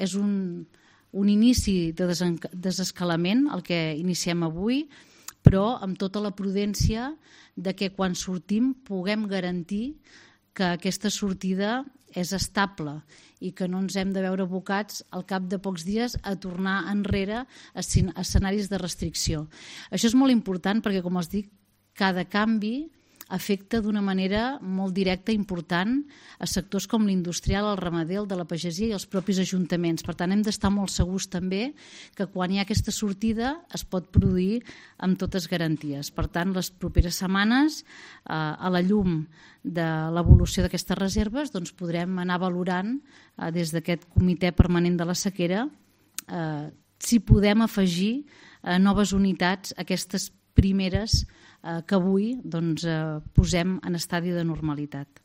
és un inici de desescalament, el que iniciem avui, però amb tota la prudència de que quan sortim puguem garantir que aquesta sortida és estable i que no ens hem de veure abocats al cap de pocs dies a tornar enrere a escenaris de restricció. Això és molt important perquè, com els dic, cada canvi afecta d'una manera molt directa i important a sectors com l'industrial, el ramader, el de la pagesia i els propis ajuntaments. Per tant, hem d'estar molt segurs també que quan hi ha aquesta sortida es pot produir amb totes garanties. Per tant, les properes setmanes, a la llum de l'evolució d'aquestes reserves, doncs podrem anar valorant des d'aquest comitè permanent de la sequera si podem afegir noves unitats a aquestes primeres que avui posem en estadi de normalitat.